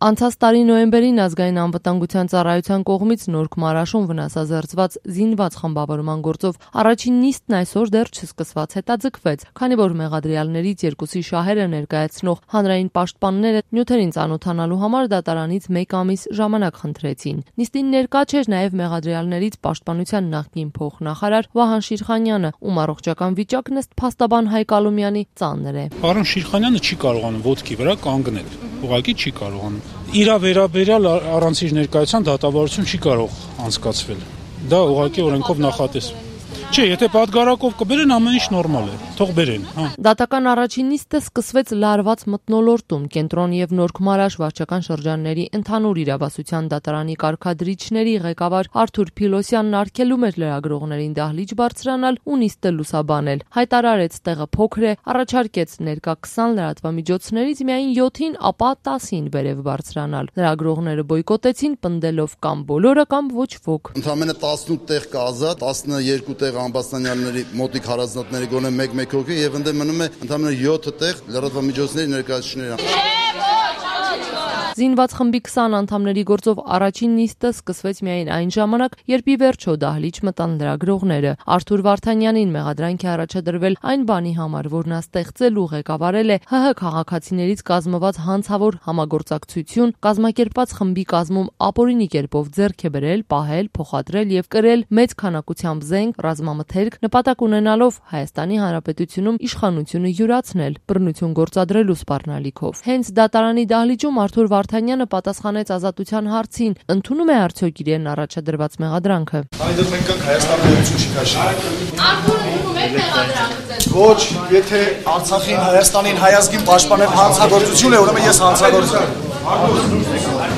Անցած տարի նոյեմբերին ազգային անվտանգության ծառայության կողմից Նորք Մարաշում վնասազերծված զինված խմբավորման գործով առաջին նիստն այսօր դեռ չսկսված հետաձգվեց, քանի որ մեղադրյալներից երկուսի շահերը ներկայացնող հանրային պաշտպանները նյութերին ծանոթանալու համար դատարանից 1 ամիս ժամանակ խնդրեցին։ Նիստին ներկա չէր նաև մեղադրյալներից պաշտպանության նախկին փոխնախարար Վահան Շիրխանյանը, ում առողջական վիճակն ըստ փաստաբան Հայկ Ալոմյանի ծանր է։ Պարոն Շիրխանյանը չի կարողանում ոտքի վրա կանգնել, ուղղակի չի կարողանում։ Իրա վերաբերյալ առանց իր ներկայության դատավարություն չի կարող անցկացվել։ Դա ուղղակի օրենքով նախատես։ Չէ, եթե պատգարակով կբերեն, ամեն ինչ նորմալ է, թող բերեն, հա։ Դատական առաջին նիստը սկսվեց լարված մթնոլորտում, Կենտրոն եւ Նորք Մարաշ վարչական շրջանների ընդհանուր իրավասության դատարանի կարգադրիչների ղեկավար Արթուր Փիլոսյանն արգելում էր լրագրողներին դահլիճ բարձրանալ ու նիստը լուսաբանել, հայտարարեց տեղը փոքր է, առաջարկեց ներկա 20 լրատվամիջոցներից միայն 7-ին, ապա 10-ին վերև բարձրանալ։ Լրագրողները բոյկոտեցին, պնդելով կամ բոլորը կամ ոչ ոք։ Ընդամենը 18 տեղ կա ազատ, 12 տեղ ամբաստանյալների մոտիկ հարազատների գոնե 1 հոգի եւ ընդ մնում է ընդամենը 7 տեղ լրատվամիջոցների ներկայացուցիչների։ Զինված խմբի 20 անդամների գործով առաջին նիստը սկսվեց միայն այն ժամանակ, երբ ի վերջո դահլիճ մտան լրագրողները։ Արթուր Վարդանյանին մեղադրանք է առաջադրվել այն բանի համար, որ նա ստեղծել ու ղեկավարել է ՀՀ քաղաքացիներից կազմված հանցավոր համագործակցություն, կազմակերպված խմբի կազմում ապօրինի կերպով ձեռք է բերել, պահել, փոխադրել եւ կրել մեծ քանակությամբ զենք, ռազմամթերք, նպատակ ունենալով Հայաստանի Հանրապետությունում իշխանությունը յուրացնել, բռնություն գործադրելու սպառնալիքով։ Հենց դատարանի դահլիճում Արթուր Վարդանյանը պատասխանեց Ազատության հարցին, ընդունում է արդյոք իրեն առաջադրված մեղադրանքը։ Այդտեղ մենք ենք Հայաստանի Հանրապետություն չի քաշի։ Արթուր, ընդունում եք մեղադրանքը։ Ոչ, եթե Արցախին, Հայաստանին, հայազգին պաշտպանել հանցագործություն է, ուրեմն ես հանցագործ եմ։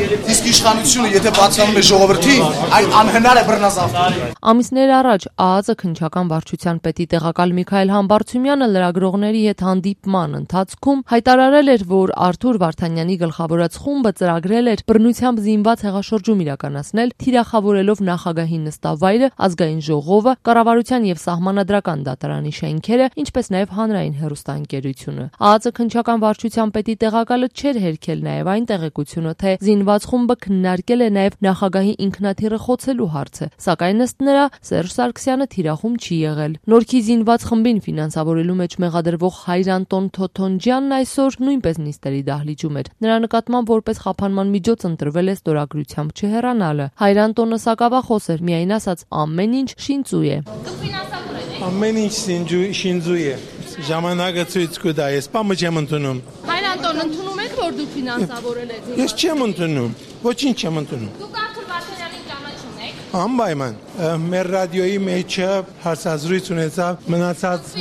Իսկ իշխանությունը եթե բացանում է ժողովրդին, այն անհնար է բռնազավթել։ Ամիսներ առաջ ԱԱԾ քննչական վարչության պետի տեղակալ Միքայել Համբարձումյանը լրագրողների հետ հանդիպման ընթացքում հայտարարել էր, որ Արթուր Վարդանյանի գլխավորած խումբը ծրագրել էր բռնությամբ զինված հեղաշրջում իրականացնել, թիրախավորելով նախագահի նստավայրը, ազգային ժողովը, կառավարության եւ սահմանադրական դատարանի շենքերը, ինչպես նաեւ հանրային հեռուստաընկերությունը։ ԱԱԾ քննչական վարչության պետի տեղակալը չէր հերքել նաեւ այն տեղեկությունը, թե զինված խումբը քննարկել է նաև նախագահի ինքնաթիռը խոցելու հարցը, սակայն ըստ նրա Սերժ Սարգսյանը թիրախում չի եղել։ Նորքի զինված խմբին ֆինանսավորելու մեջ մեղադրվող Հայրանտոն Թոթոնջյանն այսօր նույնպես նիստերի դահլիճում էր։ Նրա նկատմամբ որպես խափանման միջոց ընտրվել է ստորագրությամբ չհեռանալը։ Հայրանտոնը սակավախոս էր, միայն ասաց ամեն ինչ շինծու է։ Ամեն ինչ շինծու է։ Ժամանակը ցույց կտա, ես բամը չեմ ընդունում։ Հայրանտոն ընդունում եք, որ դուք ֆինանսավորել եք։ Ես չեմ ընդունում, ոչինչ չեմ ընդունում։ Դուք Արթուր Վարդանյանին ճանաչում եք։ Անպայման, մեր ռադիոյի մեջը հարցազրույց ունեցավ, մնացած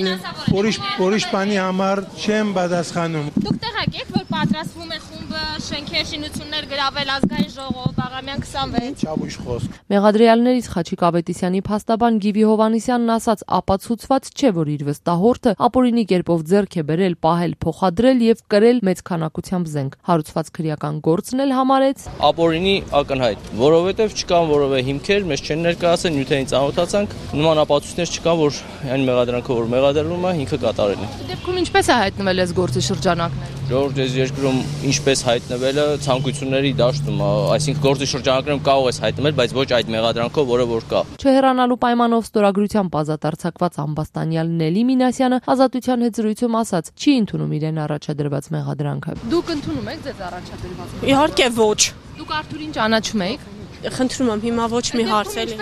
ուրիշ բանի համար չեմ պատասխանում։ Դուք տեղակ եք, որ պատրաստվում է խումբը շենքեր շինություններ գրավել ազգային ժողով Բաղրամյան 26։ Չաբույժ խոսք։ Մեղադրյալներից Խաչիկ Ավետիսյանի փաստաբան Գիվի Հովհաննիսյանն ասաց, ապացուցված չէ, որ իր վստահորդը ապօրինի կերպով ձեռք է բերել, պահել, փոխադրել եւ կրել մեծ քանակությամբ զենք։ Հարուցված քրեական գործն էլ համարեց ապօրինի ակնհայտ, որովհետեւ չկան որևէ հիմքեր, մեզ չեն ներկայացել, նյութերին ծանոթացանք, նման ապացույցներ չկան, որ այն մեղադրանքը, որ մեղադրվում է, ինքը կատարել է։ Դեպքում ինչպես է հայտնվել այս գործի շրջանակները։ Ժողովուրդ այս երկրում ինչպես հայտնվելը ցանկությունների դաշտում, այսինքն գործի շրջանակներում կարող է հայտնվել, բայց ոչ այդ մեղադրանքով, որը որ կա։ Չհեռանալու պայմանով ստորագրությամբ ազատ արձակված ամբաստանյալ Նելի Մինասյանը Ազատության հետ զրույցում ասաց, չի ընդունում իրեն առաջադրված մեղադրանքը։ Դուք ընդունում եք ձեզ առաջադրված։ Իհարկե ոչ։ Դուք Արթուրին ճանաչում եք։ Խնդրում եմ, հիմա ոչ մի հարց էլի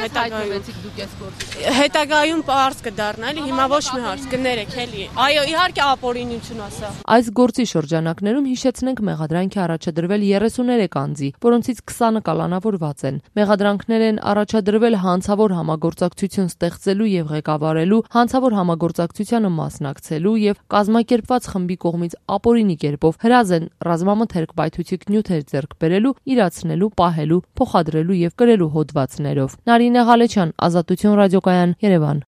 հետագայում պարզ կդառնա, էլի հիմա ոչ մի հարց կներեք էլի։ Այո, իհարկե ապօրինություն ասա։ Այս գործի շրջանակներում հիշեցնենք մեղադրանք է առաջադրվել 33 անձի, որոնցից 20-ը կալանավորված են։ Մեղադրանքներ են առաջադրվել հանցավոր համագործակցություն ստեղծելու եւ ղեկավարելու, հանցավոր համագործակցությանը մասնակցելու եւ կազմակերպված խմբի կողմից ապօրինի կերպով հրազեն ռազմամթերք պայթուցիկ նյութեր ձեռք բերելու, իրացնելու, պահելու, փոխադրելու եւ կրելու հոդվածներով։ Նարինե Ղալեչյան, Ազատություն ռադիոկայան, Երևան։